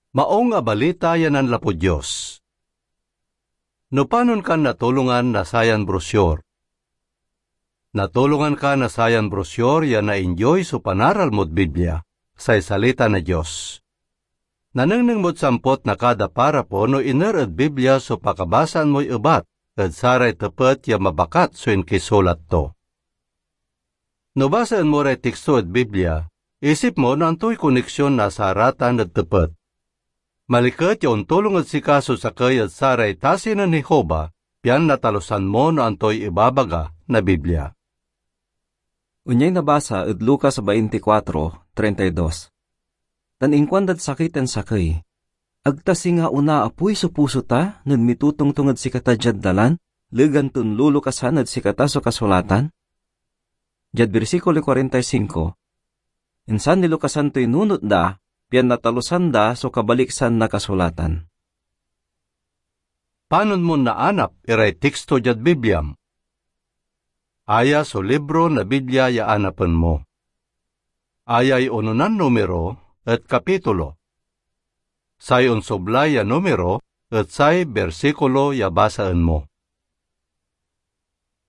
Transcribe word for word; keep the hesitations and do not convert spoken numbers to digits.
Maong a Balita ya nanlapud Dios. No panon kan natulongan na sayan brosyor? Natulongan ka na sayan brosyor ya naindioy so panaral mod Biblia, say Salita na Dios. Nanengneng mod sampot na kada parapo no iner ed Biblia so pakabasaan moy ebat ed saray tepet ya mabakat so inkisulat to. No basaen mo ray tiksto ed Biblia, isip mo no antoy koneksyon na saratan ed tepet. Maliket ya ontulong ed sika so sakey ed saray tasi nen Jehovah, pian natalusan mo no antoy ibabaga na Biblia. Onyay nabasa ed Lucas twenty-four, treinta y dos. Tan inkuandad sakey tan sakey, "Ag ta singa onaapoy so puso ta nen mitotongtong ed sikata diad dalan, legan ton lulukasan ed sikata so kasulatan?" Diad bersikulo kuarenta y singko, insan nilukasan toy nunot da, pian natalusan da so kabaliksan na kasulatan. Panon mon naanap iray tiksto diad Bibliam? Aya so libro na Biblia ya anapen mo. Ayay ononan numero et kapitulo. Say onsoblay a numero et say bersikulo ya basaen mo.